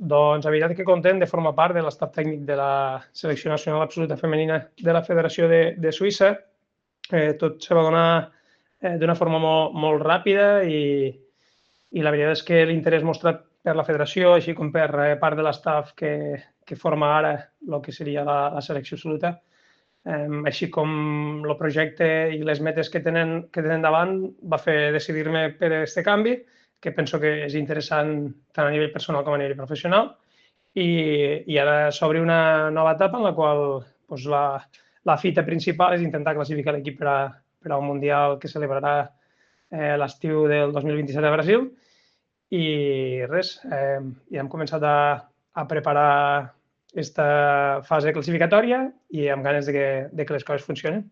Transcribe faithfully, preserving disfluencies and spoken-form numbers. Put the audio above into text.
Doncs, la veritat que content de formar part de l'estat tècnic de la selecció nacional absoluta femenina de la Federació de, de Suïssa. Eh, tot se va donar eh, d'una forma molt, molt ràpida i, i la veritat és que l'interès mostrat per la federació, així com per eh, part de l'estaf que, que forma ara el que seria la, la selecció absoluta, eh, així com el projecte i les metes que tenen, que tenen davant, va fer decidir-me per aquest canvi, que penso que és interessant tant a nivell personal com a nivell professional. I, i ara s'obre una nova etapa en la qual doncs, la, la fita principal és intentar classificar l'equip per, a, per al Mundial que celebrarà eh, l'estiu del dos mil vint-i-set a Brasil. I res, eh, ja hem començat a, a preparar aquesta fase classificatòria i amb ganes de que, de que les coses funcionen.